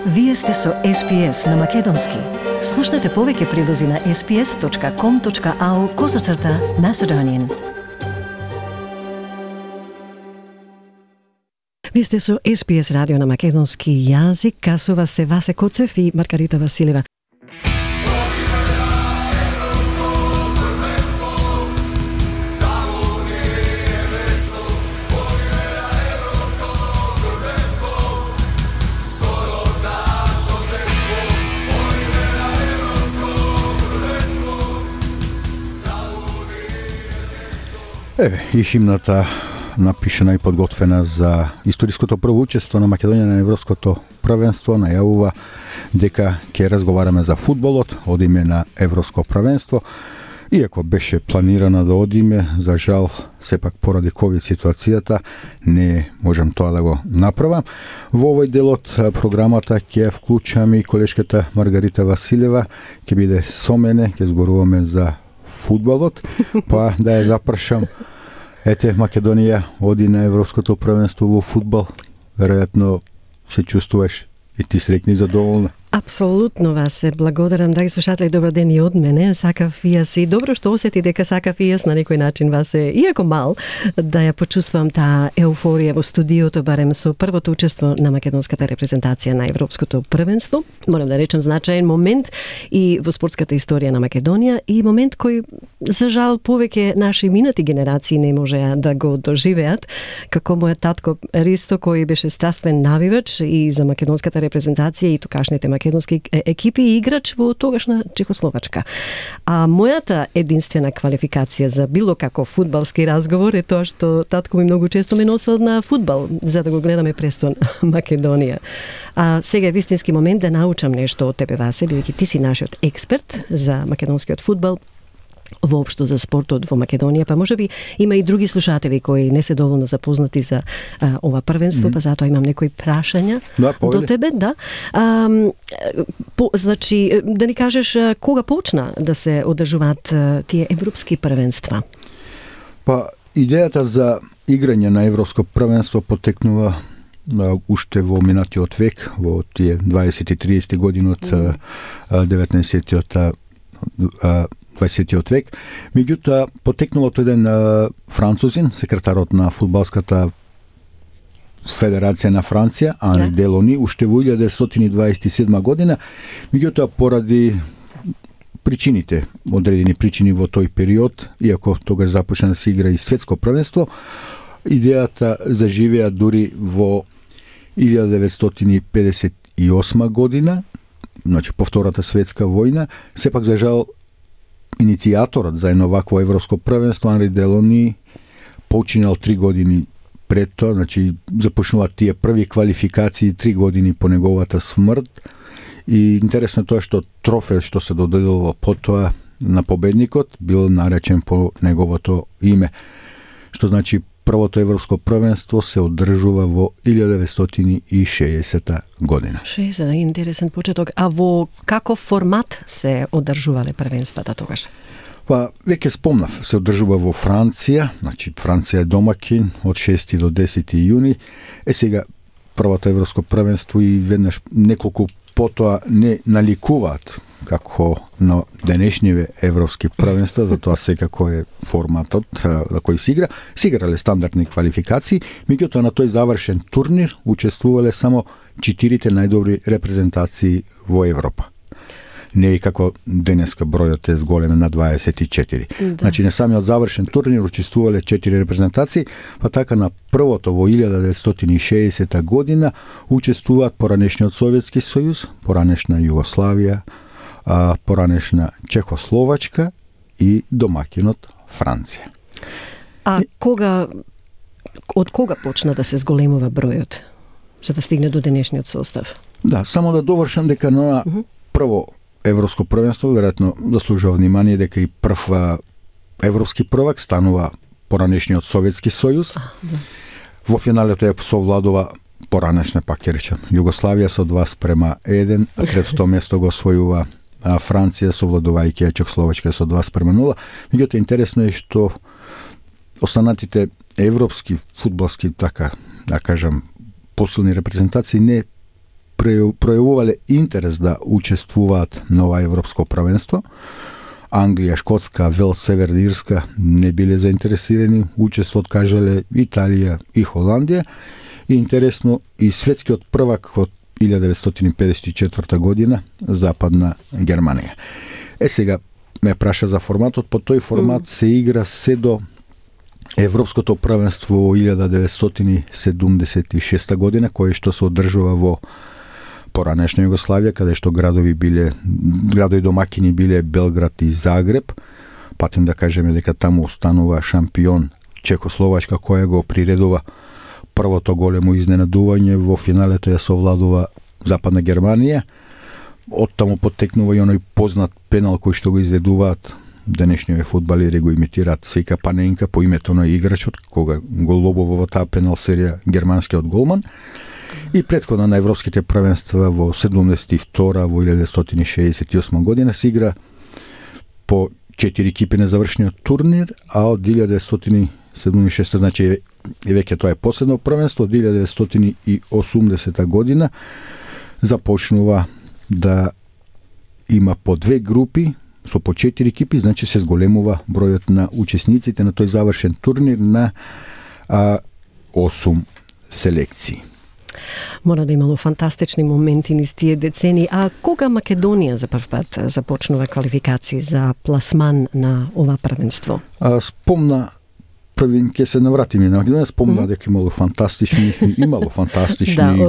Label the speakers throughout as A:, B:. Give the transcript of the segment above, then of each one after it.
A: Вие сте со SPS на Македонски. Слушнете повеќе прилози на sps.com.au/Macedonian. Вие сте со SPS радио на македонски јазик. Касува се Васе Коцев и Маргарита Василева.
B: И химната напишена и подготвена за историското прво учество на Македонија на Европското првенство најавува дека ќе разговараме за фудбалот, одиме на Европско првенство. Иако беше планирано да одиме, за жал, сепак поради ковид ситуацијата не можам тоа да го направам. Во овој дел од програмата ќе вклучам и колешката Маргарита Василева, ќе биде со мене, ќе зборуваме за фудбалот, па да ја запрашам. Ете, Македонија оди на Европското првенство во фудбал. Веројатно се чувствуваш и ти среќна и задоволна.
A: Апсолутно, Васе, благодарам, драги слушатели, добар ден и од мене. Сакав и јас и добро што осети дека сакав и јас на некој начин, Васе, иако мал, да ја почувствувам таа еуфорија во студиото, барем со првото учество на македонската репрезентација на Европското првенство. Морам да речем значаен момент и во спортската историја на Македонија и момент кој, за жал, повеќе наши минати генерации не можеа да го доживеат, како мојот татко Ристо, кој беше страствен навивач и за македонската репрезентација и токашните македонски екипи и играч во тогашна Чехословачка. А мојата единствена квалификација за било каков фудбалски разговор е тоа што татко ми многу често ме носел на фудбал за да го гледаме престон Македонија. А сега е вистински момент да научам нешто од тебе, Васе, бидејќи ти си нашиот експерт за македонскиот фудбал, воопшто за спортот во Македонија, па можеби има и други слушатели кои не се доволно запознати за ова првенство, па затоа имам некои прашања до тебе, да. Значи, да ни кажеш кога почна да се одржуваат тие европски првенства?
B: Па, идејата за играње на европско првенство потекнува уште во минатиот век, во тие 20-30 години од 20 век. Меѓутоа, потекнало од еден французин, секретарот на фудбалската федерација на Франција, Анри Делони, уште во 1927 година, меѓутоа поради причините, одредени причини во тој период, иако тогаш започна да се игра и светско првенство, идејата заживеа дури во 1958 година, значи по Втората светска војна, сепак за жал иницијаторот за едно вакво европско првенство Анри Делони починал 3 години пред тоа, значи започнуваат тие први квалификации 3 години по неговата смрт. И интересно тоа што трофеј што се доделува потоа на победникот бил наречен по неговото име. Што значи првото европско првенство се одржува во 1960 година.
A: 60, интересен почеток. А во каков формат се одржувале првенствата тогаш?
B: Па, веќе спомнав, се одржува во Франција, значи Франција е домакин од 6 до 10 јуни. Сега првото европско првенство и веднаш неколку потоа не наликуваат како на денешниве европски првенства, затоа секако е форматот на кој се игра. Се играле стандардни квалификации, меѓутоа на тој завршен турнир учествувале само 4 најдобри репрезентации во Европа. Не е како денеска бројот е зголемен на 24. Да. Значи на самиот завршен турнир учествувале 4 репрезентации, па така на првото во 1960 година учествуваат поранешниот Советски сојуз, поранешна Југославија, поранешна Чехословачка и домакинот Франција.
A: А од кога почна да се зголемува бројот за да стигне до денешниот состав?
B: Да, само да довршам дека на прво европско првенство веројатно заслужува внимание дека и прв европски prvак станува поранешниот Советски сојуз. Во финалето ја совладува поранешна, пак ќе речем, Југославија со 2:1, а третото место го освојува Франција совладувајќи ја Чехословачка со 2:0. Меѓутоа интересно е што останатите европски фудбалски, така да кажам, посилни репрезентации не пројавувале интерес да учествуваат на ова европско првенство. Англија, Шкотска, Велс, Северна Ирска не биле заинтересирани, учество откажале Италија и Холандија. И интересно, и светскиот првак од 1954 година, Западна Германија. Сега ме праша за форматот, по тој формат се игра се до Европското првенство во 1976 година, кое што се одржува во поранешна Југославија, каде што градови домакини биле Белград и Загреб. Патем да кажеме дека таму останува шампион Чехословачка, која го приредува првото големо изненадување. Во финалето ја совладува Западна Германија. Оттаму потекнува и оној познат пенал кој што го изведуваат денешниот фудбалери, го имитираат сека Паненка по името на играчот, кога го лобува во таа пенал серија германскиот голман. И претходно на европските првенства во 72 во 1968 година се игра по 4 екипи на завршниот турнир, а од 1976, значи веќе тоа е последно првенство, од 1980 година започнува да има по 2 групи со по 4 екипи, значи се зголемува бројот на учесниците на тој завршен турнир на 8 селекции.
A: Мора да имало фантастични моменти низ тие децени. А кога Македонија за прв пат започнува квалификации за пласман на ова првенство?
B: Спомна, први ќе се навратиме на Македонија, спомна дека имало фантастични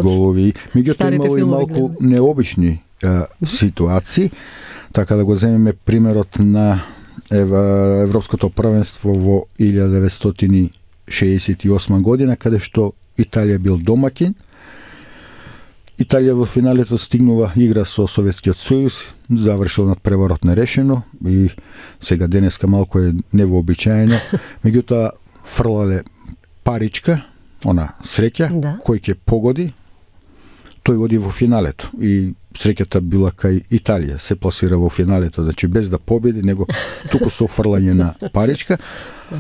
B: голови, меѓутоа имало и малку необични ситуации. Така да го земеме примерот на Европското првенство во 1968 година, каде што Италија бил домакин. Италија во финалето стигнува игра со Советскиот сојуз, завршил надпреварот нерешено и сега денеска малку е невообичаено. Меѓутоа фрлале паричка, она среќа, кој ќе погоди, тој оди во финалето. И среќата била кај Италија, се пласира во финалето, значи без да победи, него туку со фрлање на паричка.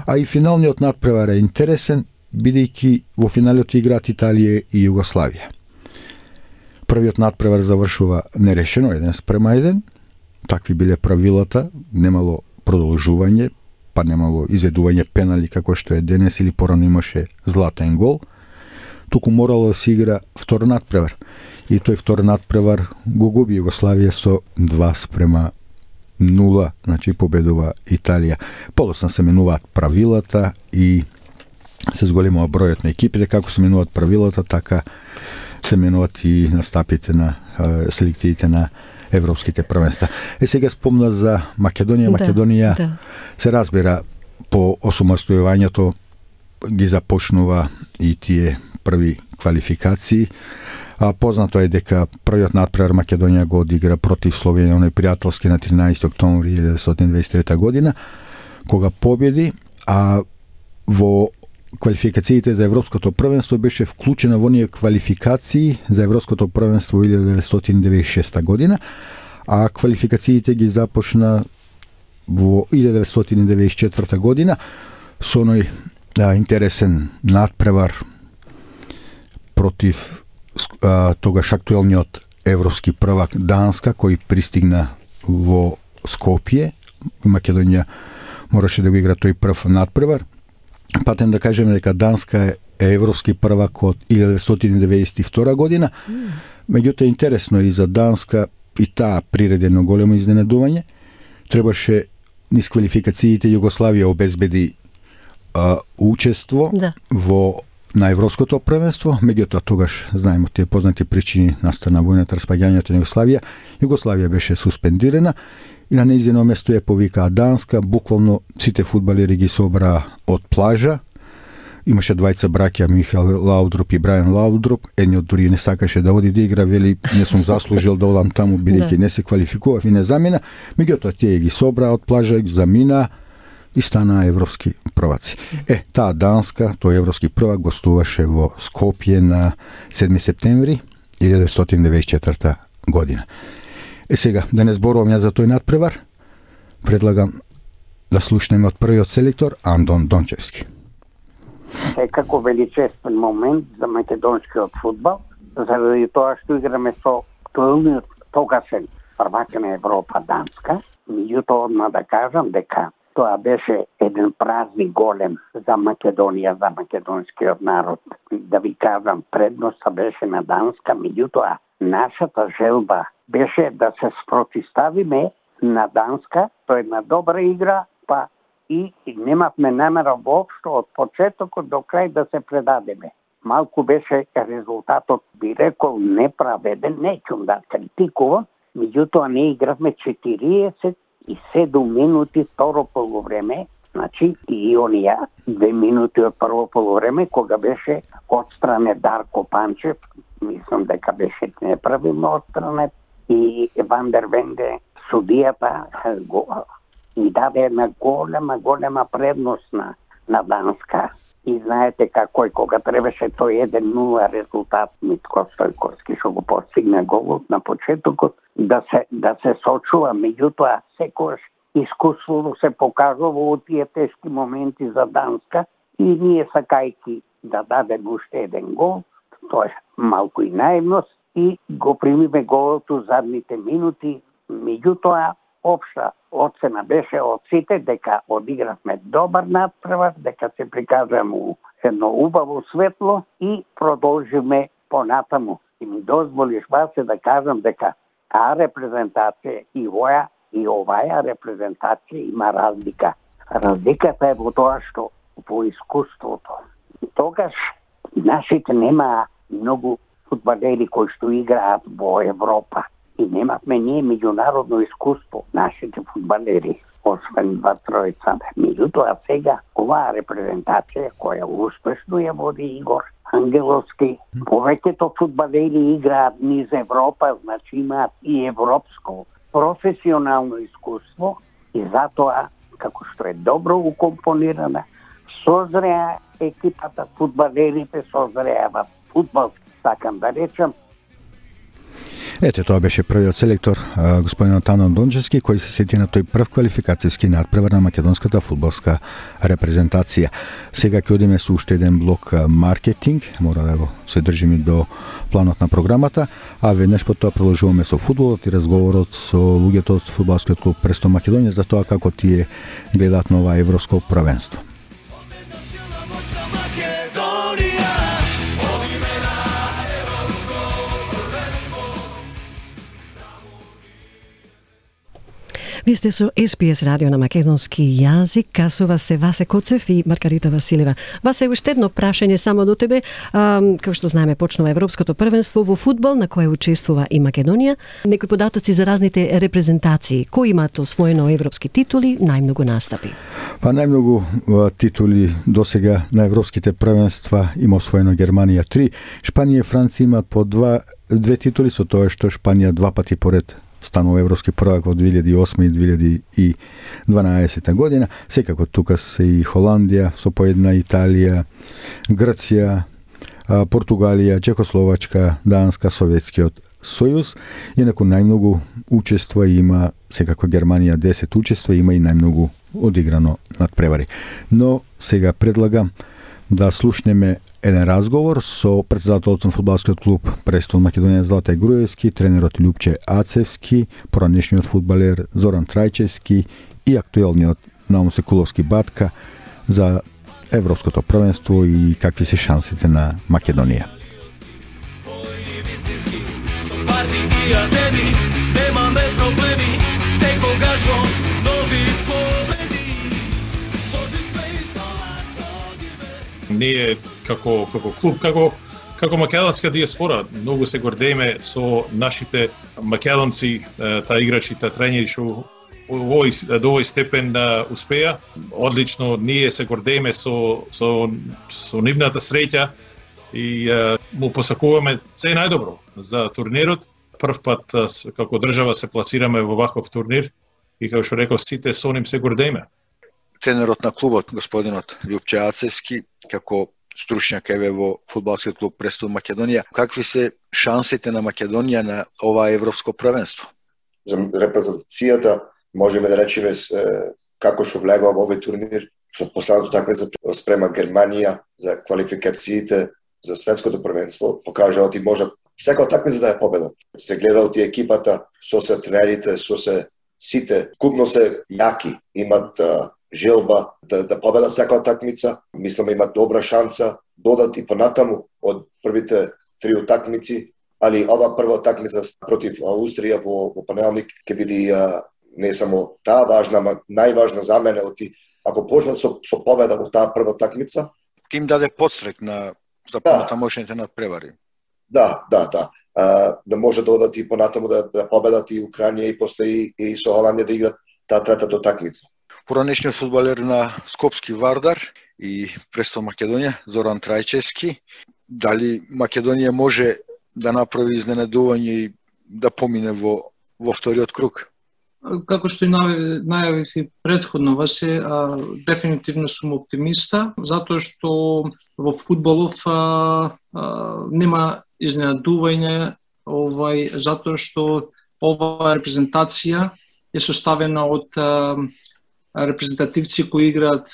B: А и финалниот надпревар е интересен, бидејќи во финалето играат Италија и Југославија. Првиот надпревар завршува нерешено, 1:1. Такви биле правилата, немало продолжување, па немало изведување пенали како што е денес или порано имаше златен гол. Туку морало да се игра втор надпревар. И тој втор надпревар го губи Југославија со 2:0, значи победува Италија. Подоцна се менуваат правилата и се зголемува бројот на екипите, како се менуваат правилата, така се менуваат и настапите на селекциите на европските првенства. Сега спомна за Македонија. Македонија се разбира по осамостојувањето ги започнува и тие први квалификации. Познато е дека првиот надпревар Македонија го одигра против Словенија, оној пријателски на 13 октомври 1923 година, кога победи, а во квалификациите за Европското првенство беше вклучена во оние квалификации за Европското првенство 1996 година, а квалификациите ги започна во 1994 година со оној интересен надпревар против тогаш актуелниот европски првак Данска, кој пристигна во Скопје. Македонија мораше да го игра тој прв надпревар. Патем да кажеме дека Данска е европски првак од 1992 година. Меѓутоа интересно и за Данска и таа приредено големо изненадување. Требаше низ квалификациите Југославија обезбеди учество на Европското првенство, меѓутоа тогаш, знаеме тие познати причини настана војната, распаѓањето на Југославија. Југославија беше суспендирана и на нејзино место ја повикаа Данска. Буквално сите фудбалери ги собраа од плажа. Имаше двајца браќа, Михаел Лаудроп и Брајан Лаудроп. Едниот дури не сакаше да оди да игра, вели не сум заслужил да одам таму, бидејќи не се квалификував и не замина. Меѓутоа тие ги собраа од плажа, ги замина и стана европски прваци. Таа Данска, тој европски првак, гостуваше во Скопје на 7 септември 1994 година. Сега, да не зборувам ја за тој надпревар, предлагам да слушнеме од првиот селектор Андон Дончевски.
C: Како величествен момент за македонскиот фудбал, заради тоа што играме со актуелниот тогашен првак на Европа Данска. Меѓутоа, одма да кажам дека тоа беше еден празник голем за Македонија, за македонскиот народ. Да ви кажам, предноста беше на Данска, меѓутоа нашата желба беше да се спротиставиме на Данска, тоа е една добра игра, па и немавме намера воопшто од почетокот до крај да се предадеме. Малку беше резултатот, би рекол, неправеден, неќум да критикувам, меѓутоа не игравме 47 минути второ полувреме, значи и онија 2 минути од прво полувреме, кога беше отстране Дарко Панчев, мислам дека беше неправилно отстране, и Вандер Венде, судијата, и даде една голема предност на Данска. И знаете како кога требаше тој 1-0 резултат, Митко Стојковски што го постигна голот на почетокот, да се сочува, меѓутоа секогаш искуството се покажува во тие тешки моменти за Данска и ние сакајки да дадем уште еден гол, тоа е малку и наивност, и го примиме голот у задните минути, меѓутоа општа оцена беше од сите дека одигравме добар натпревар, дека се прикажаме у едно убаво светло и продолжиме понатаму. И ми дозволиш Васе да кажам дека таа репрезентација и оваа репрезентација има разлика. Разликата е во тоа што во искуството. Тогаш нашите нема многу фудбалери кои што играат во Европа. И немавме ние меѓународно искуство, нашите фудбалери, освен 2-3. Меѓутоа сега, оваа репрезентација која успешно ја води Игор Ангеловски, повеќето фудбалери играат низ Европа, значи имаат и европско професионално искуство и затоа, како што е добро укомпонирана, созреа екипата, фудбалерите созреават фудбал, сакам да речам.
B: Ете, тоа беше првиот селектор, господин Танон Дончевски, кој се сети на тој прв квалификацијски надпревар на македонската фудбалска репрезентација. Сега ќе одиме со уште еден блок маркетинг, мора да го се држиме до планот на програмата, а веднаш по тоа продолжуваме со фудбалот и разговорот со луѓето од фудбалскиот клуб Престон Македонија за тоа како тие гледаат на ова европско првенство.
A: Вие сте со СПС радио на македонски јазик, касува се Васе Коцев и Маргарита Василева. Васе, уште едно прашање само до тебе. Како што знаеме, почнува европското првенство во фудбал, на кое учествува и Македонија. Некои податоци за разните репрезентации. Кои имаат освоено европски титули, најмногу настапи?
B: Па најмногу титули досега на европските првенства има освоено Германија 3, Шпанија и Франција имаат по две титули, со тоа што Шпанија 2 пати поред станува европски првак во 2008 и 2012 година. Секако тука се и Холандија, со по една, Италија, Грција, Португалија, Чехословачка, Данска, Советскиот сојуз. Инаку најмногу учества има секако Германија 10 учества, има и најмногу одиграно надпревари. Но сега предлагам да слушнеме еден разговор со претседателот на фудбалскиот клуб Престон Македонија Златај Груевски, тренерот Љупче Ацевски, поранешниот фудбалер Зоран Трајчевски и актуелниот Наум Секуловски Батка за европското првенство и какви се шансите на Македонија.
D: Ние како клуб, како македонска диаспора, многу се гордееме со нашите македонци, таа играчи, таа тренери што до овој степен успеа. Одлично, ние се гордееме со нивната среќа и му посакуваме се најдобро за турнирот. Прв пат како држава се пласираме во ваков турнир и како што реков, сите со ним се гордееме.
E: Тренерот на клубот, господинот Љупче Ацевски, како стручњак еве во фудбалскиот клуб Престон Македонија, какви се шансите на Македонија на ова европско првенство?
F: За репрезентацијата можеме да речеме како што влегува во овој турнир, со последното такмење спрема Германија за квалификациите за светското првенство, покажаат и можат секоја такмица да е победа. Се гледа од екипата, со се тренерите, со се сите, купно се јаки, имат желба да победа секоја такмица. Мислам имат добра шанса, додат и понатаму од првите 3 утакмици, али ова прва такмица против Австрија во понеделник ќе биде не само таа важна, ама најважна за мене ако почнат со победа во таа прва такмица.
E: Ке им даде подстрек за понатамошните надпревари.
F: Да. Да може да одат и понатаму да победат и Украина и после и со Холандија да играт таа третата такмица.
E: Поранешниот фудбалер на Скопски Вардар и Престол Македонија, Зоран Трајчевски, дали Македонија може да направи изненадување и да помине во вториот круг?
G: Како што и најавив и претходно, Васе, дефинитивно сум оптимиста, затоа што во фудбалов нема изненадување, затоа што оваа репрезентација е составена од репрезентативци кои играат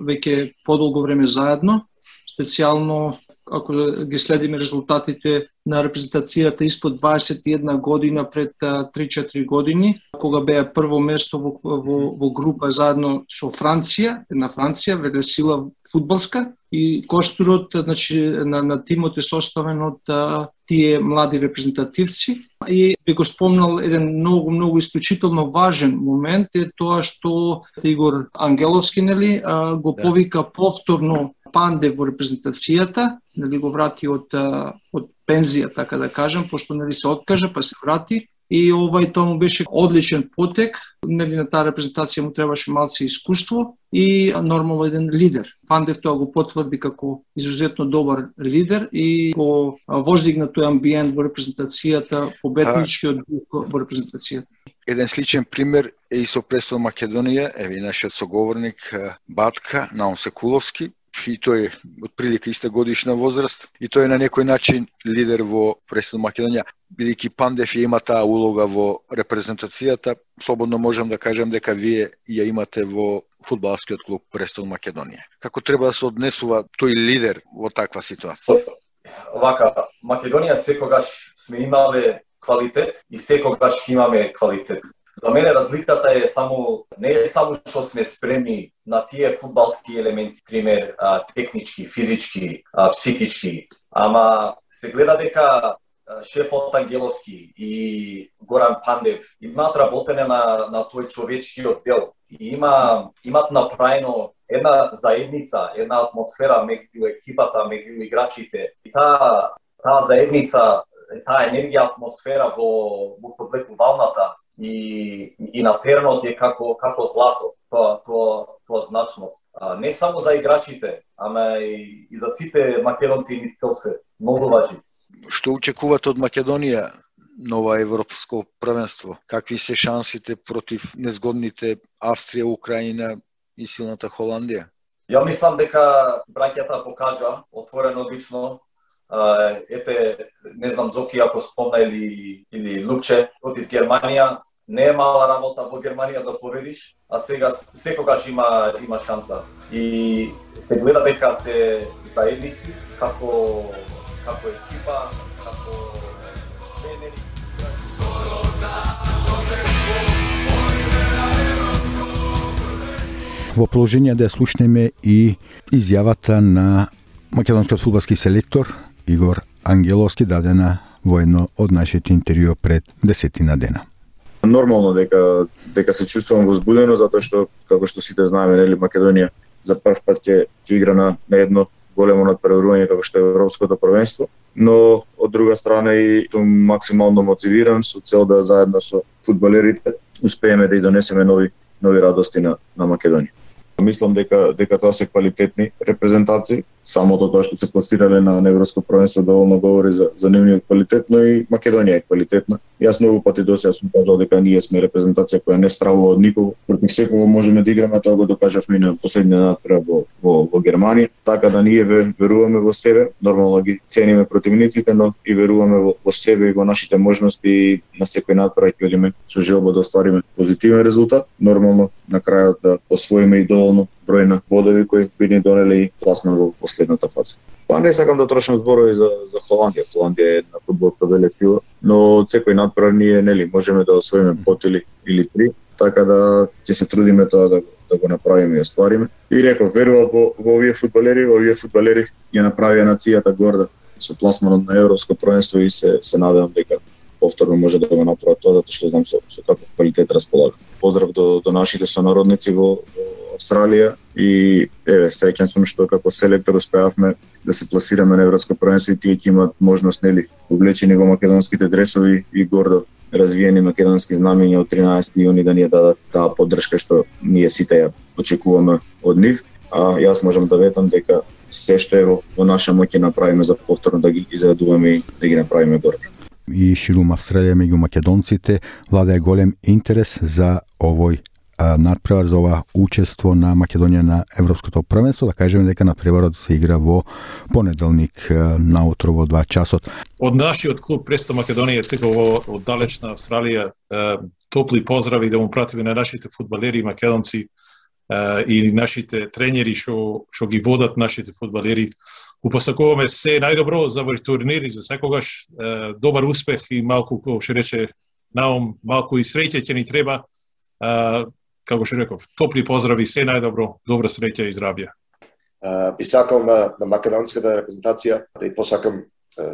G: веќе подолго време заедно, специјално ако ги следиме резултатите на репрезентацијата испод 21 година пред 3-4 години, кога беа прво место во група заедно со Франција, веде сила фудбалска, и костурот на тимот е составен од тие млади репрезентативци. И би го спомнал еден многу исклучително важен момент е тоа што Игор Ангеловски го повика повторно Панде во репрезентацијата, го врати од пензија, така да кажам, пошто се откажа, па се врати. И тоа му беше одличен потек, на таа репрезентација му требаше малце искуство и нормално еден лидер. Пандев тоа го потврди како изузетно добар лидер и го воздигна тој амбиент во репрезентацијата, победничкиот дух во репрезентацијата.
E: Еден сличен пример е и со Престол Македонија, еве нашиот соговорник Батка Наум Секуловски, и тој е отприлика иста годишна возраст и тој е на некој начин лидер во Престол Македонија. Бидејќи Пандев ја има таа улога во репрезентацијата, слободно можам да кажам дека вие ја имате во фудбалскиот клуб Престол Македонија. Како треба да се однесува тој лидер во таква ситуација?
H: Овака, Македонија секогаш сме имале квалитет и секогаш ќе имаме квалитет. За мене разликата е не е само што сме спремни на тие фудбалски елементи, пример технички, физички, психички, ама се гледа дека шефот Ангеловски и Горан Пандев имаат работене на тој човечкиот дел и имат направено една заедница, една атмосфера меѓу екипата, меѓу играчите. И таа заедница, таа енергија, атмосфера во фудбалната и на теренот е како злато, тоа значност. Не само за играчите, ама и за сите македонци и цел свет. Многу важи.
E: Што очекувате од Македонија на ова европско првенство? Какви се шансите против незгодните Австрија, Украина и силната Холандија?
H: Ја мислам дека браќата покажа отворено лично. Ете, не знам Зоки ако спомна или Лупче против Германија. Не е мала работа во Германија да победиш, а сега секогаш има шанса. И се гледа дека се заедники како екипа, како тренери.
B: Во положение да слушнеме и изјавата на македонскиот фудбалски селектор Игор Ангеловски, дадена во едно од нашите интервјуа пред 10 дена.
I: Нормално дека се чувствувам возбудено, затоа што, како што сите знаеме, Македонија за прв пат ќе игра на едно големо надпреварување како што е Европското првенство, но од друга страна и сум максимално мотивиран со цел да заедно со фудбалерите успееме да и донесеме нови радости на Македонија. Мислам дека тоа се квалитетни репрезентации, самото тоа што се пласирале на Европско првенство доволно говори за нивниот квалитет, но и Македонија е квалитетна. Јас многу пати досега сум кажал дека ние сме репрезентација која не стравува од никого, против секого можеме да играме, тоа го докажавме на последниот надпревар во Германија, така да ние веруваме во себе, нормално ги цениме противниците, но и веруваме во себе и во нашите можности, на секој надпревар ќе одиме со желба да оствариме позитивен резултат, нормално на крајот да освоиме и доволно број на бодови кои би ни донели пласман во последната фаза. Па не сакам да трошам зборови за Холандија. Холандија е една фудбалска велесила, но секој надпревар ние можеме да освоиме пот или 3, така да ќе се трудиме тоа да го направиме и оствариме. И реков, верувам во овие фудбалери ја направија нацијата горда со пласманот на Европско првенство и се надевам дека повторно може да го направат тоа, затоа што знам со каков квалитет располага. Поздрав до нашите сонародници во Австралија и среќен сум што како селектор успеавме да се пласираме на Европско првенство и тие ќе имаат можност облечени во македонските дресови и гордо развиени македонски знамења од 13 јуни да ни дадат таа поддршка што ние сите ја очекуваме од нив, а јас можам да ветам дека се што е во наша моќ ќе направиме за повторно да ги израдуваме и да ги направиме горди.
B: И ширум Австралија меѓу македонците владее голем интерес за овој надпревар, за ова учество на Македонија на Европското првенство. Да кажеме дека надпреварот се игра во понеделник наутро во 2 часот.
D: Од нашиот клуб Престо Македонија тука во оддалечна Австралија топли поздрави да му пратиме на нашите фудбалери македонци и нашите тренери што ги водат нашите фудбалери. Упосакуваме се најдобро за овој турнир и за секогаш добар успех и малку, како што рече Наум, малку и среќа ќе ни треба. Како што реков, топли поздрави, се најдобро, добра среќа и здравје.
F: Би сакал на македонската репрезентација да и посакам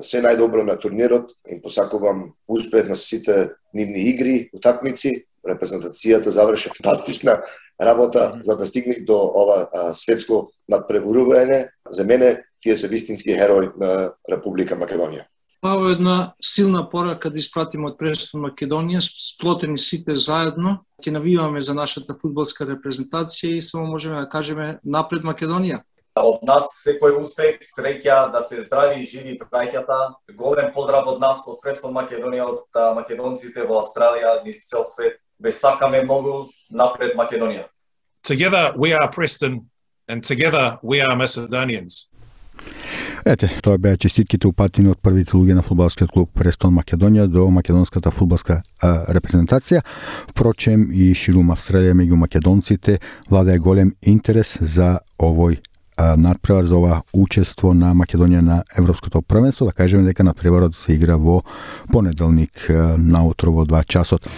F: се најдобро на турнирот, им посакувам успех на сите нивни игри, утакмици. Репрезентацијата заврши фантастична работа за да стигне до ова светско надпреварување. За мене тие се вистински херои на Република Македонија.
G: Ова е една силна порака да испратиме од Престо Македонија, сплотени сите заедно, ќе навиваме за нашата фудбалска репрезентација и само можеме да кажеме напред Македонија.
H: Од нас секој успех, среќа, да се здрави и живи браќата. Голем поздрав од нас, од Престо Македонија, од македонците во Австралија, низ цел свет. Ве сакаме многу, напред Македонија.
D: Together we are Preston and together we are Macedonians.
B: Ете, тоа беа честитките упатени од првите луѓе на фудбалскиот клуб Престон Македонија до македонската фудбалска репрезентација. Впрочем, и ширум Австралија меѓу македонците владее голем интерес за овој надпревар, за ова учество на Македонија на Европското првенство. Да кажеме дека надпреварот се игра во понеделник наутро во 2 часот.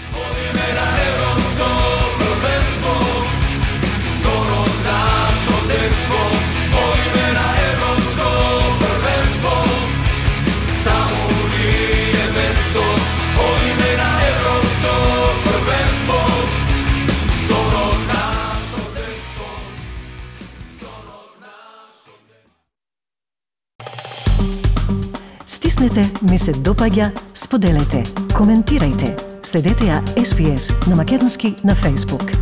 J: Стиснете ми се допаѓа, споделете, коментирајте. Следете ја SPS на македонски на Facebook.